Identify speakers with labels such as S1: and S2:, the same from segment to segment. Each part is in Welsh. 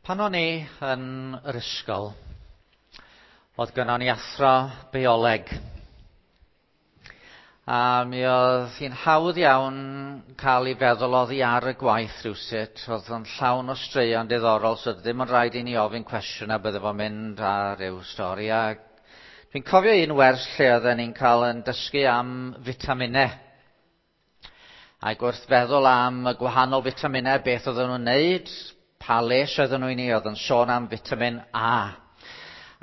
S1: Pan o'n i yn yr ysgol, oedd gynnon ni athro bioleg. A mi oedd hi'n hawdd iawn cael ei feddwl oddi ar y gwaith rhywsut. Oedd o'n llawn o straeon diddorol, so ddim yn rhaid i ni ofyn cwestiwn a bydde fo'n mynd ar ryw stori. A dwi'n cofio un wers lle oedden ni'n cael yn dysgu am fitaminau. Ac wrth feddwl am y gwahanol fitaminau, beth oedden nhw'n neud, pa les oedden nhw i ni, oedd yn sôn am vitamin A.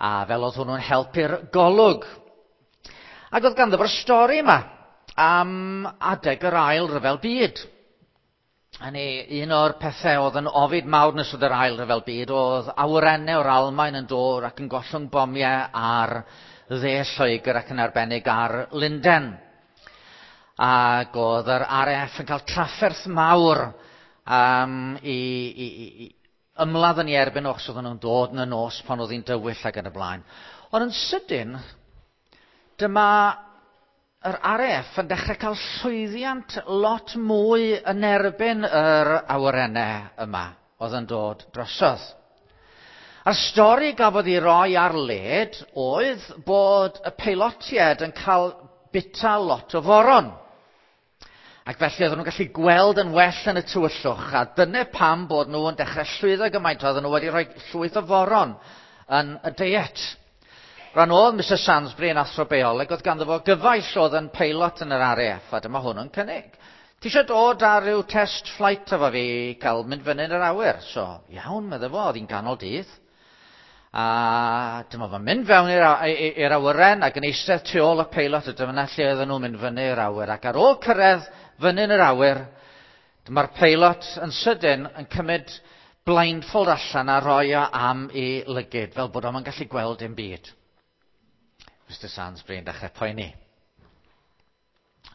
S1: A fel oedd hwnnw'n helpu'r golwg. Ac oedd ganddo fo'r stori yma am adeg yr ail ryfel byd. Hynny, un o'r pethau oedd yn ofid mawr nes oedd yr ail ryfel byd oedd awyrennau o'r Almaen yn dod ac yn gollwng bomiau ar dde Lloegr ac yn arbennig ar Lundain. Ac oedd yr RAF yn cael trafferth mawr um, i, i, i ymladd yn ei erbyn os oedden nhw'n dod yn y nos pan oedd hi'n dywyll ac yn y blaen. Ond yn sydyn, dyma yr RAF yn dechrau cael llwyddiant lot mwy yn erbyn yr awyrennau yma oedd yn dod drosodd. A'r stori gafodd ei roi ar led oedd bod y peilotiaid yn cael bita lot o foron. Ac felly oedden nhw'n gallu gweld yn well yn y tywyllwch, a dyna pam bod nhw yn dechrau llwyddo gymaint, oedden nhw wedi rhoi llwyth o foron yn y deiet. Rhan oedd Mr Sansbury yn athro bioleg, oedd ganddo fo gyfaill oedd yn peilot yn yr RAF, a dyma hwn yn cynnig. Ti eisiau dod ar ryw test flight efo fi i cael mynd fyny yn yr awyr? So, iawn, medde fo, oedd hi'n ganol dydd. A dyma fo'n mynd fewn i'r awyren ac yn eistedd tu ôl y peilot, a dyma lle oedden nhw'n mynd fyny i'r awyr. Ac ar ôl cyrraedd fyny yn yr awyr, dyma'r peilot yn sydyn yn cymryd blindfold allan a rhoi o am ei lygid, fel bod o'n gallu gweld dim byd. Mr Sansbury yn dechrau poeni.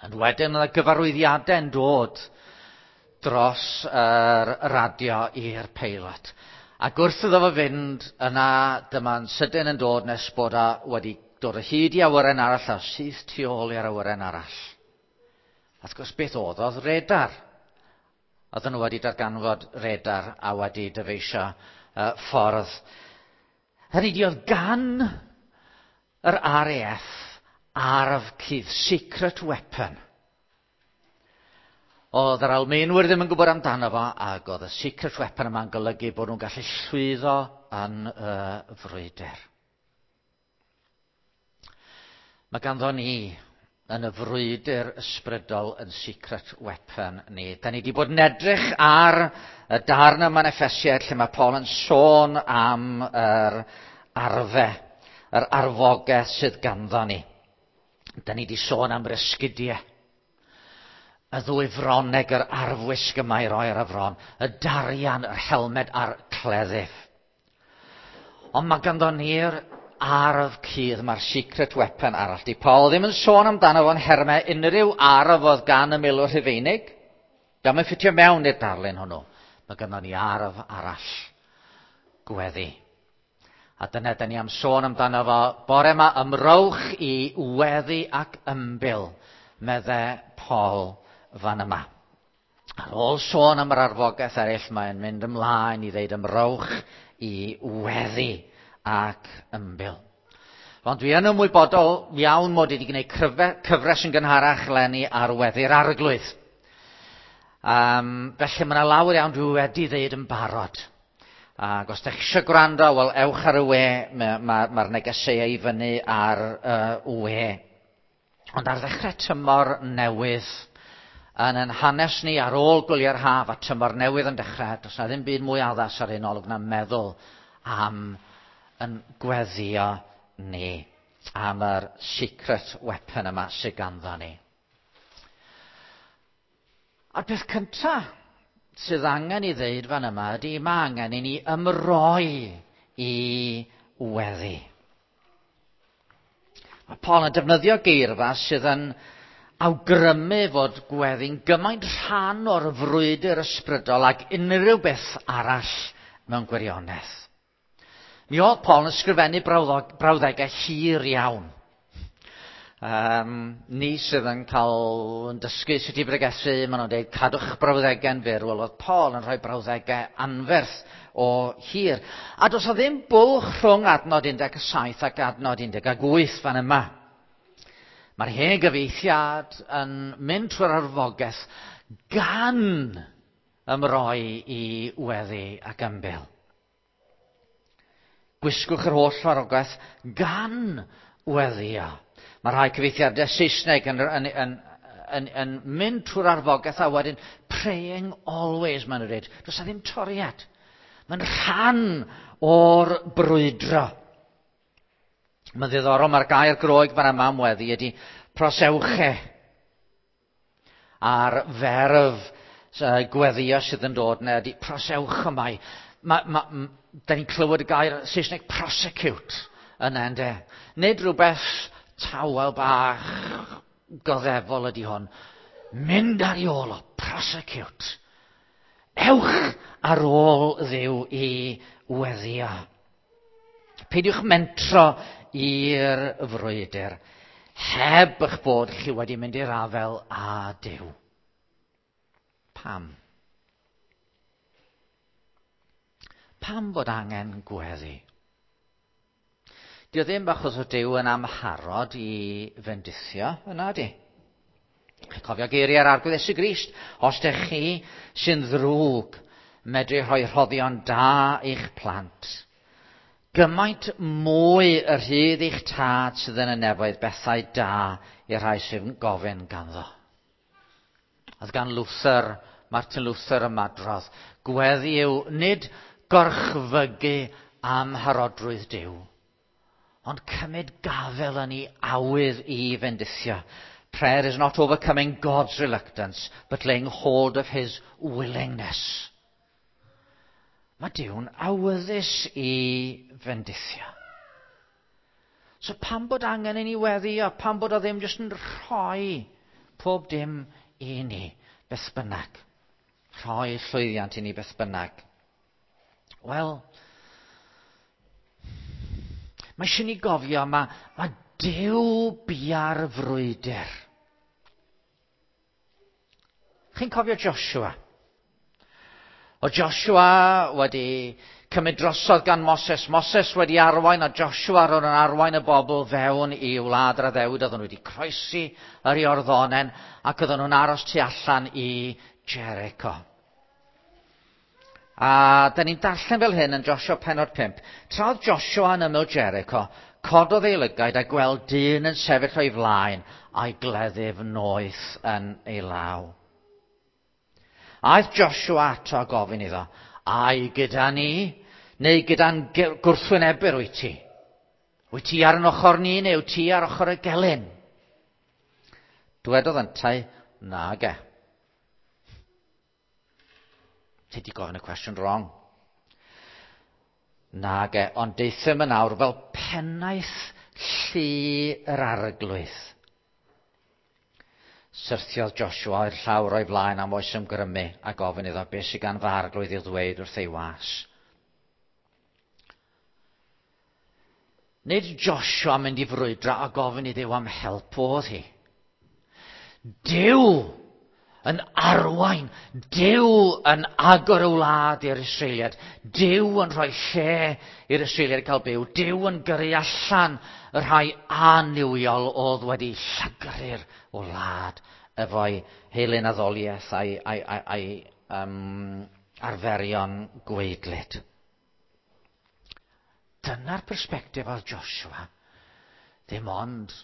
S1: Ond wedyn oedd gyfarwyddiadau yn dod dros yr radio i'r peilot. Ac wrth iddo fo fynd, yna dyma'n sydyn yn dod nes bod o wedi dod o hyd i awyren arall a syth tu ôl i'r awyren arall. A wrth gwrs beth oedd? Oedd radar. Oedden nhw wedi darganfod radar a wedi dyfeisio ffordd. Hynny ydi, oedd gan yr RAF arf cudd, secret weapon. Oedd yr Almaenwyr ddim yn gwybod amdano fo, ac oedd y secret weapon yma'n golygu bod nhw'n gallu llwyddo yn y frwydr. Mae ganddo ni yn y frwydr ysbrydol yn secret weapon ni. Da ni wedi bod yn edrych ar y darn yma yn Effesiaid lle mae Paul yn sôn am yr arfe, yr arfogaeth sydd ganddo ni. Da ni wedi sôn am yr esgidiau. Y ddwy froneg, yr arfwisg yma i roi ar y fron, y darian, yr helmed a'r cleddyf. Ond mae ganddo ni'r arf cudd, mae'r secret weapon arall. Di Paul ddim yn sôn amdano fo'n hermau unrhyw arf oedd gan y milwr Rhufeinig. Dio'm yn ffitio mewn i'r darlun hwnnw. Mae ganddo ni arf arall. Gweddi. A dyna da ni am sôn amdano fo bore yma, ymrowch i weddi ac ymbil, medde Paul fan yma. Ar ôl sôn am yr arfogaeth eraill, mae'n mynd ymlaen i ddeud ymrowch i weddi ac ymbil. Ond dwi yn ymwybodol iawn mod i wedi gwneud cyfres yn gynharach eleni ar weddi'r Arglwydd. Felly mae yna lawer iawn dwi wedi ddeud yn barod. Ac os ydych chi eisiau gwrando, wel, ewch ar y we, mae'r ma negeseuau i fyny ar y we. Ond ar ddechrau tymor newydd, yn ein hanes ni ar ôl gwyliau'r haf a tymor newydd yn dechrau, does na ddim byd mwy addas ar ein olwg na meddwl am yn gweddio ni, am yr secret weapon yma sydd ganddo ni. A'r peth cyntaf sydd angen i ddeud fan yma ydy mae angen i ni ymroi i weddi. Mae Paul yn defnyddio geirfa sydd yn awgrymu fod gweddi'n gymaint rhan o'r frwydr ysbrydol ag unrhyw beth arall mewn gwirionedd. Mi oedd Paul yn ysgrifennu brawddegau hir iawn. Ni sydd yn cael yn dysgu sut i bregethu, maen nhw'n dweud cadwch brawddegau'n fyr. Wel, oedd Paul yn rhoi brawddegau anferth o hir. A does o ddim bwlch rhwng adnod 17 ac adnod 18 fan yma. Mae'r hen gyfieithiad yn mynd trwy'r arfogaeth gan ymroi i weddi ac ymbil. Gwisgwch yr holl farwogaeth gan weddio. Mae rhai cyfieithiadau Saesneg yn mynd trwy'r arfogaeth a wedyn praying always, maen nhw'n dweud. Does na ddim toriad. Mae'n rhan o'r brwydro. Mae'n ddiddorol, mae'r gair Groeg fan yma am weddi ydy proseuche. A'r ferf gweddio sydd yn dod yna ydy proseuchomai. Da ni'n clywed y gair Saesneg prosecute yna, ynde? Nid rhywbeth tawel bach goddefol ydy hwn. Mynd ar ei ôl o, prosecute. Ewch ar ôl Dduw i weddio. Peidiwch mentro i'r frwydr heb eich bod chi wedi mynd i'r afel â Duw. Pam? Pam bod angen gweddi? Dio ddim achos o Duw yn amharod i fendithio, yna di. Chi'n cofio geiriau'r Arglwydd Iesu Grist, os dych chi sy'n ddrwg medru rhoi rhoddion da i'ch plant, gymaint mwy y rhydd i'ch tad sydd yn y nefoedd bethau da i'r rhai sydd yn gofyn ganddo. Oedd gan Luther, Martin Luther ymadrodd, gweddi yw nid gorchfygu amharodrwydd Duw, ond cymryd gafel yn ei awydd i fendithio. Prayer is not overcoming God's reluctance, but laying hold of his willingness. Mae Duw'n awyddus i fendithio. So pam bod angen i ni weddio? Pam bod o ddim jyst yn rhoi pob dim i ni, beth bynnag? Rhoi llwyddiant i ni beth bynnag. Wel, mae eisiau ni gofio, mae Duw bia'r frwydr. Chi'n cofio Joshua? O Joshua wedi cymryd drosodd gan Moses. Moses wedi arwain a Joshua roedd yn arwain y bobl fewn i wlad yr addewid. Oedden nhw wedi croesi yr Iorddonen ac oedden nhw'n aros tu allan i Jericho. A da ni'n darllen fel hyn yn Joshua pennod 5. Tra oedd Joshua yn ymyl Jericho, cododd ei lygaid a gweld dyn yn sefyll o'i flaen a'i gleddyf noeth yn ei law. Aeth Joshua ato a gofyn iddo, ai gyda ni, neu gyda'n gwrthwynebwyr wyt ti? Wyt ti ar yn ochr ni, neu wyt ti ar ochr y gelyn? Dwedodd yntau, nage. Ti di gofyn y cwestiwn wrong. Nage, ond deuthum yn awr fel pennaeth llu yr arglwydd. Syrthiodd Joshua i'r llawr o'i flaen am oes ymgrymu a gofyn iddo beth sydd gan fy arglwydd i'w ddweud wrth ei was. Nid Joshua mynd i frwydro a gofyn i Dduw am help oedd hi. Duw yn arwain, Duw yn agor y wlad i'r Israeliad, Duw yn rhoi lle i'r Israeliad cael byw, Duw yn gyrru allan y rhai annuwiol oedd wedi llygru'r wlad efo'i heilun addoliaeth a'i arferion gwaedlyd. Dyna'r persbectif oedd Joshua. Ddim ond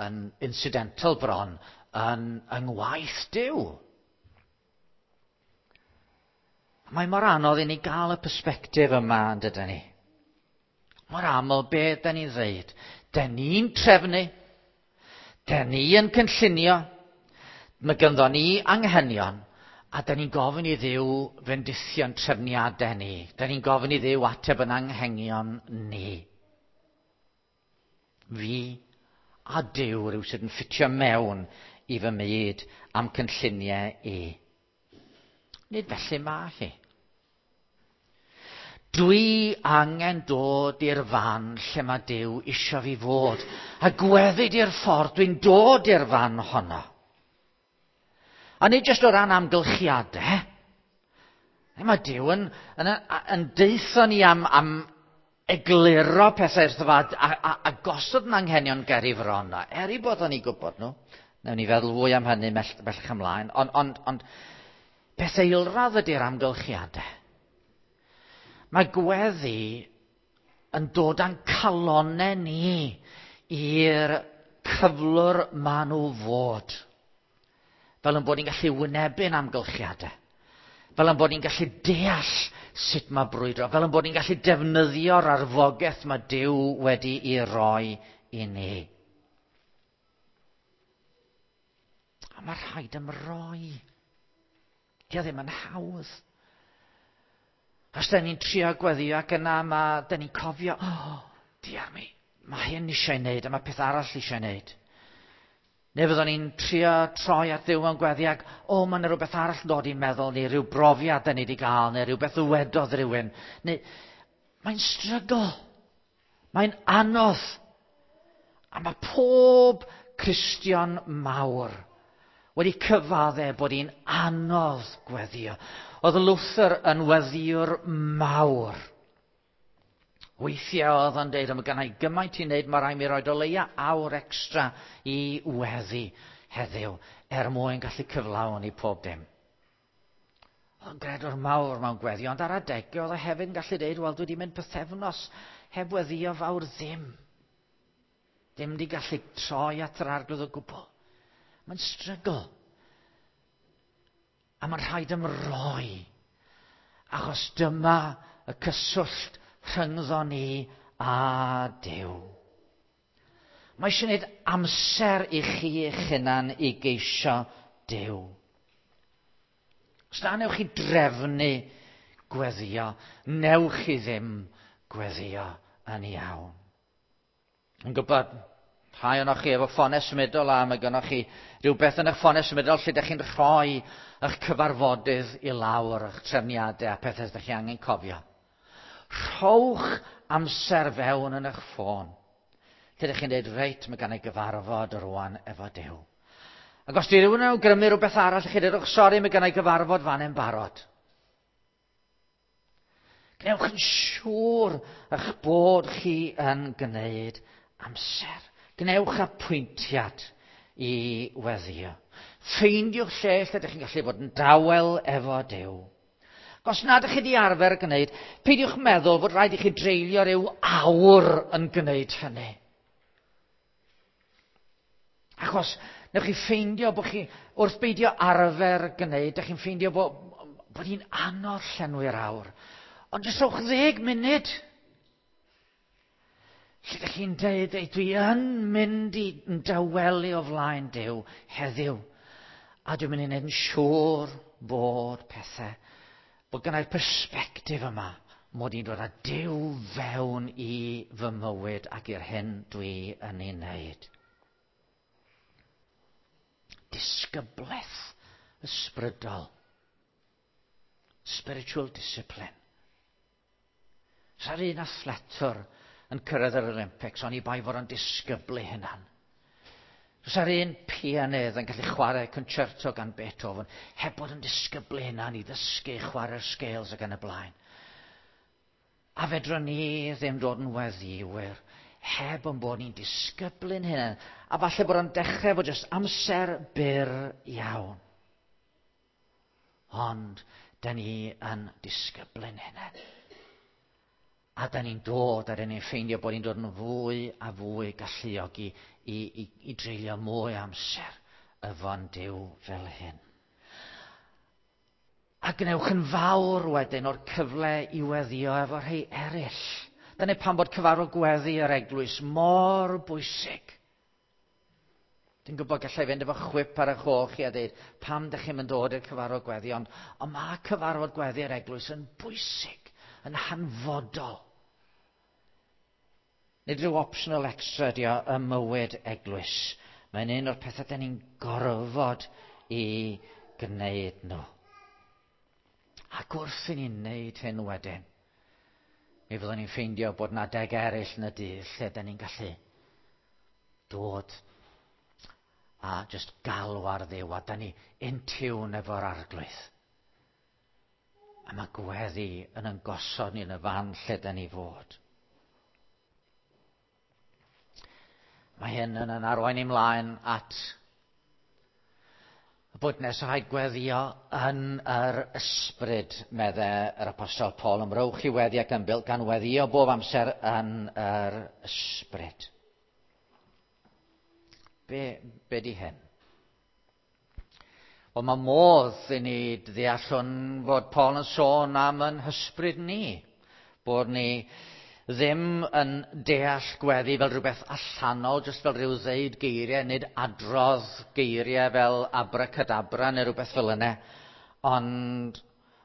S1: yn incidental bron yn yng ngwaith Duw. Mae mor anodd i ni gael y persbectif yma, yn dydyn ni? Mor aml, be da ni'n ddeud? Da ni'n trefnu, da ni yn cynllunio, mae ganddo ni anghenion, a da ni'n gofyn i Dduw fendithio'n trefniadau ni. Da ni'n gofyn i Dduw ateb yn anghenion ni. Fi a Duw rhyw sydd yn ffitio mewn i fy myd am cynlluniau i. Nid felly mae hi. Dwi angen dod i'r fan lle mae Duw isio fi fod. A gweddi di'r ffordd dwi'n dod i'r fan honno. A nid jyst o ran amgylchiadau. Mae Duw yn deutho ni am egluro pethau wrtho fo a gosod yn anghenion ger i fron. Er i bod o'n i gwybod nhw. Newn ni feddwl fwy am hynny bellach ymlaen. Ond peth eilradd ydy'r amgylchiadau. Mae gweddi yn dod â'n calonnau ni i'r cyflwr maen nhw fod. Fel yn bod ni'n gallu wynebu'n amgylchiadau. Fel yn bod ni'n gallu deall sut mae brwydro. Fel yn bod ni'n gallu defnyddio'r arfogaeth mae Duw wedi ei roi i ni. A mae rhaid ymroi. Dio ddim yn hawdd. Os da ni'n trio gweddio ac yna da ni'n cofio, oh, diar mi, mae hyn eisiau ei wneud a mae peth arall eisiau ei wneud. Neu fyddwn ni'n trio troi at Dduw mewn gweddi ac, o, mae yna rhywbeth arall yn dod i'n meddwl, neu rhyw brofiad da ni wedi gael, neu rhywbeth ddywedodd rhywun. Neu, mae'n strygl. Mae'n anodd. A mae pob Cristion mawr wedi cyfadde bod hi'n anodd gweddio. Oedd Luther yn weddiwr mawr. Weithiau oedd o'n deud, mae gynna i gymaint i wneud, mae rhaid mi roed o leia awr extra i weddi heddiw, er mwyn gallu cyflawni pob dim. Oedd o'n gredwr mawr mewn gweddi, ond ar adegau oedd o hefyd yn gallu deud, wel, dwi wedi mynd pythefnos heb weddio fawr ddim. Ddim wedi gallu troi at yr Arglwydd o gwbl. Mae'n strygl. A mae'n rhaid ymroi. Achos dyma y cyswllt rhyngddo ni a Duw. Mae eisiau gwneud amser i chi eich hunan i geisio Duw. Os na newch chi drefnu gweddio, newch chi ddim gweddio yn iawn. Yn gwybod, rhai ohonoch chi efo ffonau symudol a mae gynnoch chi rhywbeth yn eich ffonau symudol lle ydych chi'n rhoi eich cyfarfodydd i lawr, eich trefniadau a pethau ydych chi angen cofio. Rhowch amser fewn yn eich ffôn. Lle ydych chi'n dweud, reit, mae gan ei gyfarfod rwan efo Duw. Ac os di rhywun yn awgrymu rhywbeth arall, chi dweud, sori, mae gan ei gyfarfod fan yn barod. Gwnewch yn siŵr eich bod chi yn gwneud amser. Gwnewch apwyntiad i weddio. Ffeindiwch lle lle ydych chi'n gallu bod yn dawel efo Duw. Os nad ydych chi wedi arfer gwneud, peidiwch meddwl fod rhaid i chi dreulio rhyw awr yn gwneud hynny. Achos newch chi ffeindio bod chi, wrth beidio arfer gwneud, ydych chi'n ffeindio bod hi'n anodd llenwi'r awr. Ond jyst rhowch 10 munud. Lle ydych chi'n dweud, dwi yn mynd i dawelu o flaen Duw heddiw. A dwi'n mynd i wneud yn siŵr bod pethau, bod gennai'r persbectif yma, mod i'n dod â Duw fewn i fy mywyd ac i'r hyn dwi yn ei wneud. Disgyblaeth ysbrydol. Spiritual discipline. Sa'r un athletwr yn cyrraedd yr Olympics, oni bai fod o'n disgyblu hunan. Sa'r un pianydd yn gallu chwarae concerto gan Beethoven, heb bod yn disgyblu hunan i ddysgu chwarae'r scales ac yn y blaen. A fedrwn ni ddim dod yn weddiwyr heb yn bod ni'n disgyblu'n hunan. A falle bod o'n dechrau fod jyst amser byr iawn. Ond, da ni yn disgyblu'n hunan. A da ni'n dod, a da ni'n ffeindio bod ni'n dod yn fwy a fwy galluog i dreulio mwy amser efo'n Duw fel hyn. A gwnewch yn fawr wedyn o'r cyfle i weddio efo rhai eraill. Dyna pam bod cyfarfod gweddi yr eglwys mor bwysig. Dwi'n gwybod gallai fynd efo chwip ar eich ôl chi a dweud pam dych chi'n mynd dod i'r cyfarfod gweddi, ond mae cyfarfod gweddi yr eglwys yn bwysig, yn hanfodol. Nid rhyw optional extra ydi o ym mywyd eglwys. Mae'n un o'r pethau da ni'n gorfod i gwneud nhw. Ac wrth i ni wneud hyn wedyn, Mi fyddwn ni'n ffeindio bod 'na adeg eraill yn y dydd lle da ni'n gallu dod a just galw ar Dduw a da ni in tune efo'r Arglwydd. A mae gweddi yn yn gosod ni yn y fan lle da ni fod. Mae hyn yn yn arwain ymlaen at y bod nes rhaid gweddio yn yr ysbryd, medde yr Apostol Paul. Ymrowch i weddi ac ymbil gan weddio bob amser yn yr ysbryd. Be, be di hyn? Wel, mae modd i ni ddeall hwn fod Paul yn sôn am yn hysbryd ni. Bod ni ddim yn deall gweddi fel rhywbeth allanol, jyst fel rhyw ddeud geiriau, nid adrodd geiriau fel abracadabra neu rhywbeth fel yna, ond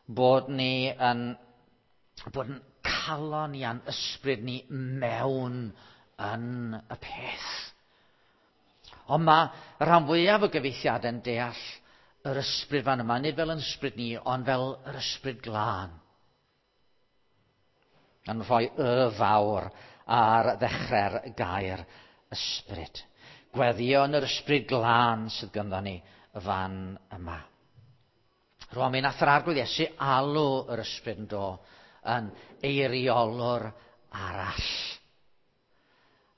S1: bod ni yn, bod yn calon ni a'n ysbryd ni mewn yn y peth. Ond mae y rhan fwyaf o gyfeithiadau'n deall yr ysbryd fan yma, nid fel yn ysbryd ni, ond fel yr ysbryd glân. Yn rhoi y fawr ar ddechrau'r gair ysbryd. Gweddio yn yr ysbryd glân sydd ganddo ni y fan yma. Rwan mi nath yr Arglwydd Iesu alw yr ysbryd yn do yn eiriolwr arall.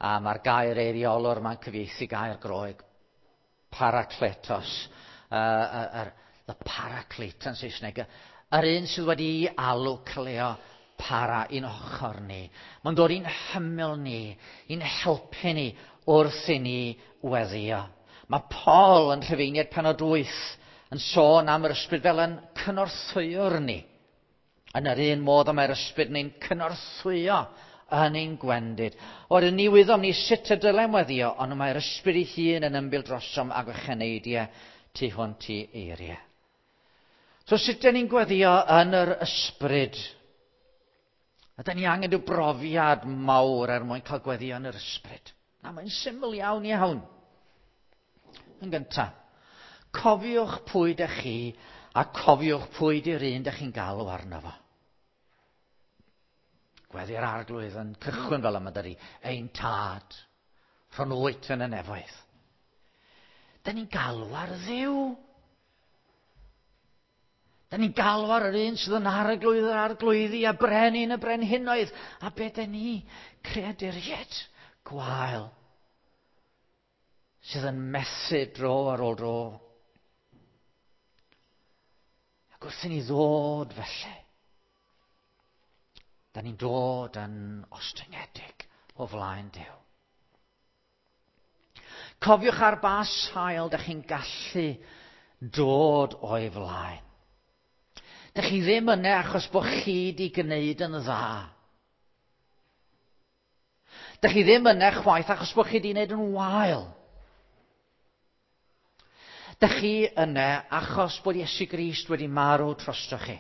S1: A mae'r gair eiriolwr mae'n cyfieithu gair Groeg parakletos, the paraclete yn Saesneg, yr un sydd wedi alw cleo para i'n ochr ni. Mae'n dod i'n hymyl ni, i'n helpu ni wrth i ni weddio. Mae Paul yn Rhufeiniaid penod 8 yn sôn am yr ysbryd fel yn cynorthwywr ni. Yn yr un modd y mae'r ysbryd ni'n cynorthwyo yn ein gwendid. Oherwydd ni wyddom ni sut y dylem weddio, ond mae'r ysbryd ei hun yn ymbil drosom ag ocheneidiau tu hwnt i eiriau. So sut dyn ni'n gweddio yn yr ysbryd? Ydyn ni angen rhyw brofiad mawr er mwyn cael gweddio yn yr ysbryd? Na, mae'n syml iawn iawn. Yn gyntaf, cofiwch pwy dych chi a cofiwch pwy di'r un dych chi'n galw arno fo. Gweddi'r Arglwydd yn cychwyn fel yma dydy, ein tad, rhon wyt yn y nefoedd. Dyn ni'n galw ar Dduw. Da ni'n galw ar yr un sydd yn arglwydd yr arglwyddi a brenin y brenhinoedd. A be da ni? Creaduriaid gwael sydd yn methu dro ar ôl dro. Ac wrth i ni ddod felly, da ni'n dod yn ostyngedig o flaen Duw. Cofiwch ar ba sail da chi'n gallu dod o'i flaen. Dych chi ddim yna achos bod chi wedi gwneud yn dda. Dych chi ddim yna chwaith achos bod chi wedi gwneud yn wael. Dych chi yna achos bod Iesu Grist wedi marw drosto chi.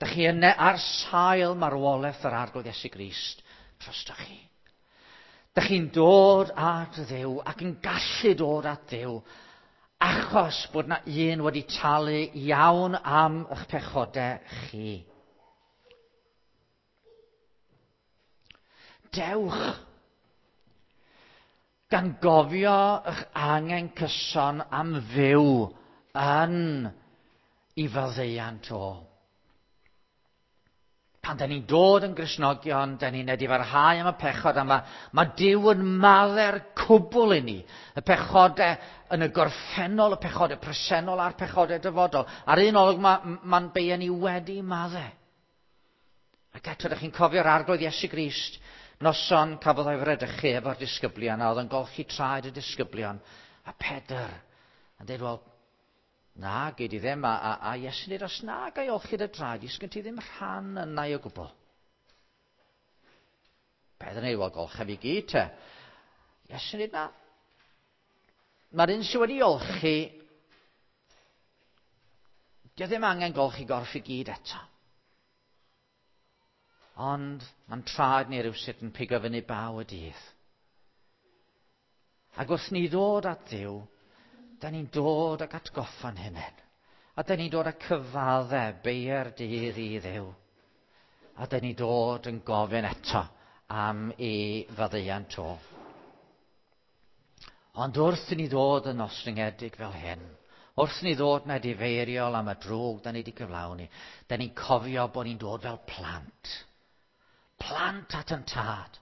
S1: Dych chi yna ar sail marwolaeth yr Arglwydd Iesu Grist drosto chi. Dych chi'n dod at Dduw ac yn gallu dod at Dduw achos bod na un wedi talu iawn am eich pechodau chi. Dewch gan gofio eich angen cyson am fyw yn i faddeuant o. Pan da ni'n dod yn Gristnogion, da ni'n edifarhau am y pechod, a mae, mae Duw yn maddau'r cwbl i ni. Y pechodau yn y gorffennol, y pechodau presennol a'r pechodau dyfodol. Ar un olwg mae'n ma, beia ni wedi maddau. Ac eto, ydych chi'n cofio'r Arglwydd Iesu Grist, noson cafodd o'i fredychu efo'r disgyblion, a oedd yn golchi traed y disgyblion. A Pedr yn dweud, wel, Na, gei di ddim, a, a, a Iesu'n dweud, os na gai olchi dy draed, i, sgyn ti ddim rhan yna i o gwbl. Pedr yn dweud, wel, golcha fi gyd te. Iesu'n dweud, na. Mae'r un sydd wedi olchi, dio ddim angen golchi gorff i gyd eto. Ond mae'n traed ni rhywsut yn pigo fyny baw y dydd. Ac wrth ni ddod at Dduw, da ni'n dod ag atgoffa'n hunain. A da ni'n dod â cyfadde beiau'r dydd i Dduw. A dyn ni dod yn gofyn eto am ei faddeuant o. Ond wrth i ni ddod yn ostryngedig fel hyn, wrth i ni ddod yn edifeiriol am y drwg da ni wedi cyflawni, da ni'n cofio bod ni'n dod fel plant. Plant at yn tad.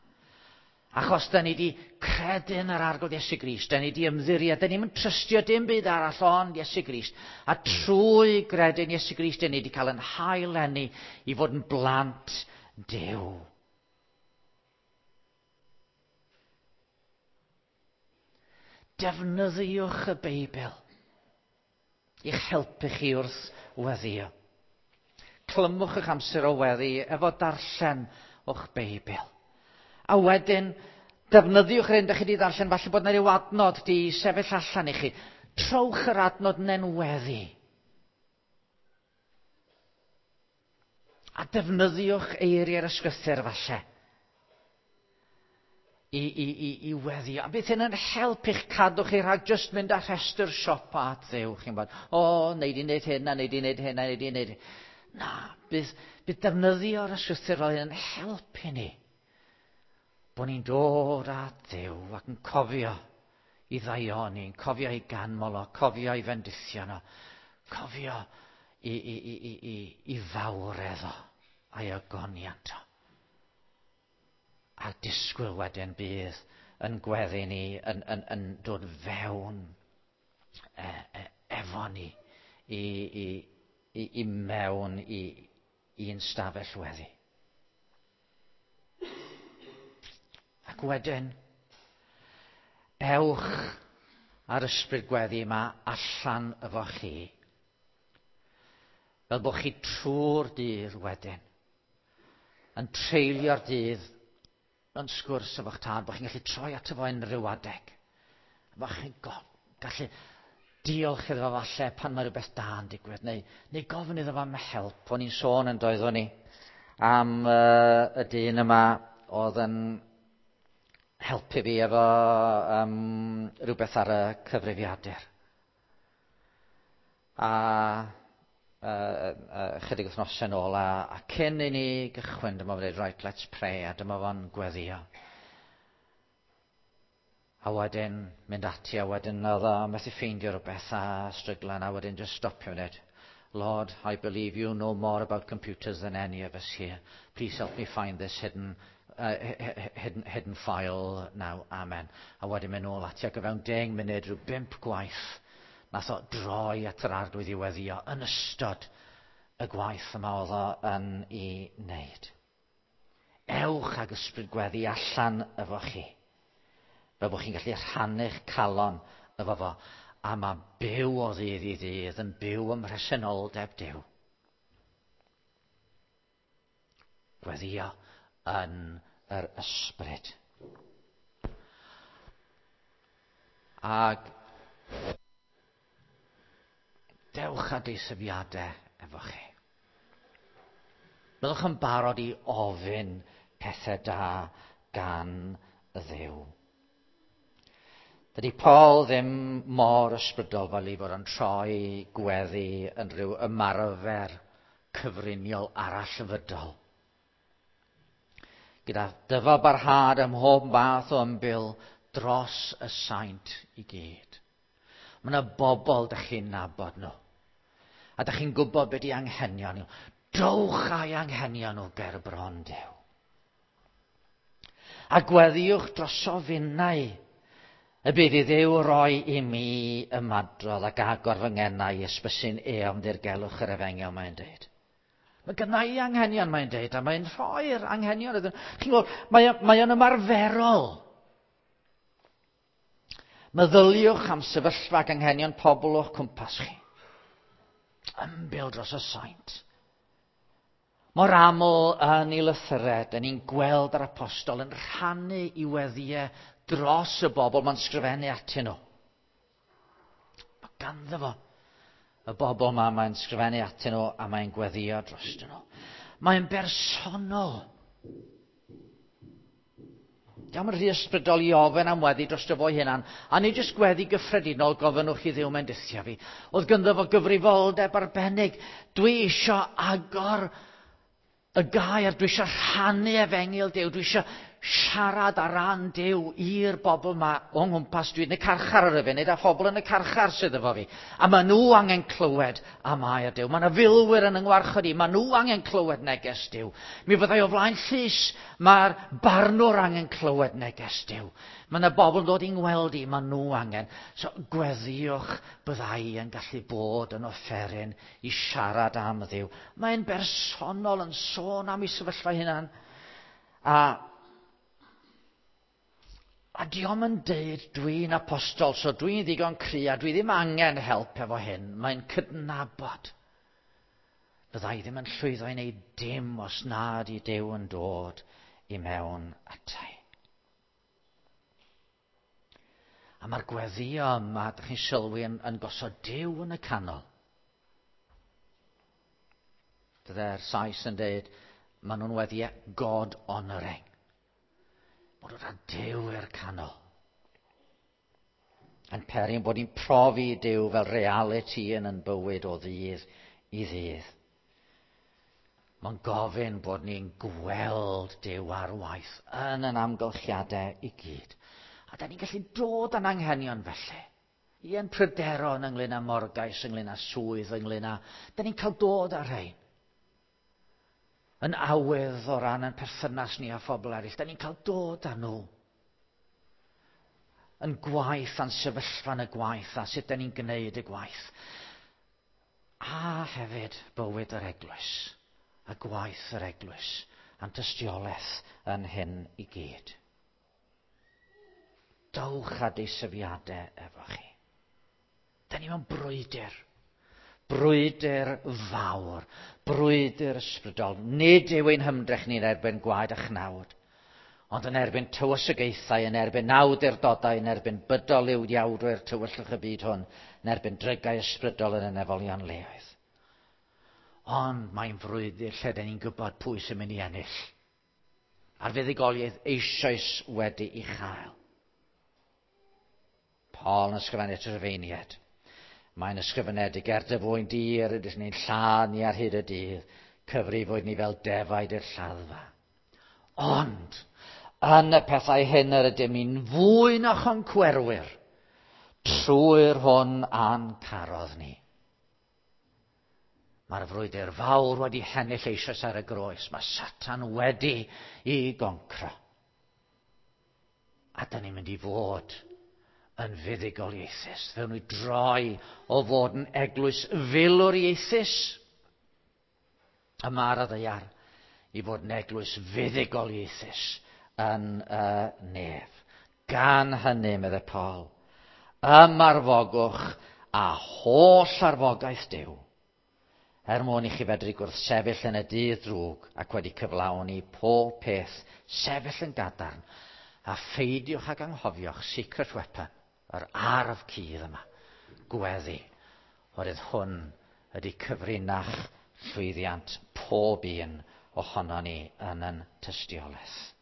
S1: Achos da ni wedi credu yn yr Arglwydd Iesu Grist, da ni wedi ymddiried, da ni'n trystio dim byd arall ond Iesu Grist. A trwy gredu yn Iesu Grist, da ni wedi cael yn hael-eni i fod yn blant Duw. Defnyddiwch y Beibl i'ch helpu chi wrth weddio. Clymwch eich amser o weddi efo darllen o'ch Beibl. A wedyn, defnyddiwch yr hyn ydych chi wedi ddarllen, falle bod yna ryw adnod di sefyll allan i chi. Trowch yr adnod yn weddi. A defnyddiwch eiriau'r ysgrythur falle i weddio. A bydd hyn yn helpu i'ch cadw chi rhag jyst mynd â rhestr siopa at Dduw. Chi'n bod, o, nei di wneud hyn, a nei di wneud hyn, a nei di wneud hyn. Na, bydd defnyddio'r ysgrythur fel hyn yn helpu ni. Bod ni'n dod at Dduw ac yn cofio i ddaioni, yn cofio i ganmol o, cofio i fendithio nhw, cofio i fawredd o a'i ogoniant o. A disgwyl wedyn bydd yn gweddi ni, yn dod fewn efo ni i mewn i'n stafell weddi. Ac wedyn, ewch ar ysbryd gweddi yma allan efo chi. Fel bod chi trwy'r dydd wedyn, yn treulio'r dydd yn sgwrs efo'ch tad, bod chi'n gallu troi ato fo unrhyw adeg. Bod chi'n gallu diolch iddo fo falle pan mae rhywbeth da yn digwydd, neu gofyn iddo fo am help. O'n i'n sôn yn doeddwn ni am y dyn yma oedd yn helpu fi efo rhywbeth ar y cyfrifiadur. A chydig wythnosau yn ôl, a cyn i ni gychwyn, dyma fo'n dweud, right, let's pray, a dyma fo'n gweddio. A wedyn mynd ati, a wedyn oedd o methu ffeindio rhywbeth a stryglan, a wedyn just stopio dweud, Lord, I believe you know more about computers than any of us here. Please help me find this hidden file now. Amen. A wedyn mynd nôl ati, ac o fewn 10 munud, rhyw 5 gwaith, nath o droi at yr Arglwydd i weddio yn ystod y gwaith yma oedd o yn ei wneud. Ewch ag ysbryd gweddi allan efo chi, fel bod chi'n gallu rhannu'ch calon efo fo. A mae byw o ddydd i ddydd yn byw ym mhresenoldeb Duw. Gweddio yn yr ysbryd. Ac dewch â deisyfiadau efo chi. Byddwch yn barod i ofyn pethau da gan y Dduw. Dydy Paul ddim mor ysbrydol fel ei fod yn troi gweddi yn rhyw ymarfer cyfriniol arallfydol. Gyda dyfal barhad ym mhob math o ymbil dros y saint i gyd. Mae yna bobl dych chi'n nabod nhw. A dych chi'n gwybod beth i anghenion nhw. Dowch â'i anghenion nhw ger bron Duw. A gweddiwch droso finnau y bydd i Dduw roi i mi ymadrodd ac agor fy ngenau i ysbysu'n eofn ddirgelwch yr efengyl, mae'n dweud. Mae gynna i anghenion, mae'n dweud, a mae'n rhoi'r anghenion iddyn nhw. Chi'n gweld, mae o'n ymarferol. Meddyliwch am sefyllfa ac anghenion pobl o'ch cwmpas chi. Ymbil dros y saint. Mor aml yn ei lythyrau, dyn ni'n gweld yr apostol yn rhannu i weddiau dros y bobl mae'n sgrifennu atyn nhw. Mae ganddo fo y bobl yma mae'n sgrifennu atyn nhw a mae'n gweddio drostyn nhw. Mae'n bersonol. Diolch yn rhy ysbrydol i ofyn am weddi dros dy fo'i hunan, a nid jyst gweddi gyffredinol gofynnwch i Dduw mendithio fi. Oedd ganddo fo gyfrifoldeb arbennig. Dwi isio agor Y gair, dwi eisiau rhannu efengyl Duw, dwi eisiau siarad ar ran Duw i'r bobl ma o'n nghwmpas. Dwi'n y carchar ar y funud, a phobl yn y carchar sydd efo fi. A maen nhw angen clywed am air Duw. Mae yna filwyr yn yngwarchod i, maen nhw angen clywed neges Duw. Mi fyddai o flaen llys, mae'r barnwr angen clywed neges Duw. Mae yna bobl yn dod i'n ngweld i, maen nhw angen. So gweddïwch byddai yn gallu bod yn offeryn i siarad am Dduw. Mae'n bersonol yn sôn am ei sefyllfa hunan. A dio'm yn deud dwi'n apostol, so dwi'n ddigon cry a dwi ddim angen help efo hyn. Mae'n cydnabod. Byddai ddim yn llwyddo i wneud dim os nad i Duw yn dod i mewn atai. A mae'r gweddio yma, ydych chi'n sylwi, yn, yn gosod Duw yn y canol. Bydde'r Sais yn dweud, maen nhw'n weddio God honouring. Bod o'n Duw i'r canol. Yn peri bod ni'n profi Duw fel reality yn yn bywyd o ddydd i ddydd. Mae'n gofyn bod ni'n gweld Duw ar waith yn yn amgylchiadau i gyd. A da ni'n gallu dod â'n anghenion felly. I yn pryderon ynglyn â morgais, ynglyn â swydd, ynglyn â... Da ni'n cael dod â rhain. Yn awydd o ran yn perthynas ni â phobl eraill. Da ni'n cael dod â nhw. Yn gwaith a'n sefyllfa yn y gwaith a sut da ni'n gwneud y gwaith. A hefyd bywyd yr eglwys a gwaith yr eglwys a'n tystiolaeth yn hyn i gyd. Dowch â deisyfiadau efo chi. Da ni mewn brwydr. Brwydr fawr. Brwydr ysbrydol. Nid yw ein hymdrech ni'n erbyn gwaed a chnawd, ond yn erbyn tywysogaethau, yn erbyn awdurdodau, yn erbyn bydol yw iawdwyr tywyllwch y byd hwn, yn erbyn drygau ysbrydol yn y nefolion leoedd. Ond mae'n frwydr lle da ni'n gwybod pwy sy'n mynd i ennill. A'r fuddugoliaeth eisoes wedi'i chael. Paul yn ysgrifennu at y Rhufeiniaid. Mae'n ysgrifenedig er dy fwyn di yr ydych ni'n lladd ni ar hyd y dydd, cyfrifwyd ni fel defaid i'r lladdfa. Ond, yn y pethau hyn yr ydym ni'n fwy na choncwerwyr, trwy'r hwn a'n carodd ni. Mae'r frwydr fawr wedi hennill eisoes ar y groes. Mae Satan wedi i goncro. A da ni'n mynd i fod yn fuddugoliaethus. Fe ni droi o fod yn eglwys filwriaethus yma ar y ddaear i fod yn eglwys fuddugoliaethus yn y nef. Gan hynny, meddai Paul, ymarfogwch a holl arfogaeth Duw, er mwyn i chi fedru gwrthsefyll yn y dydd drwg ac wedi cyflawni pob peth, sefyll yn gadarn, a pheidiwch ag anghofio'ch secret weapon, yr arf cudd yma, gweddi, oherwydd hwn ydy cyfrinach llwyddiant pob un ohono ni yn yn tystiolaeth.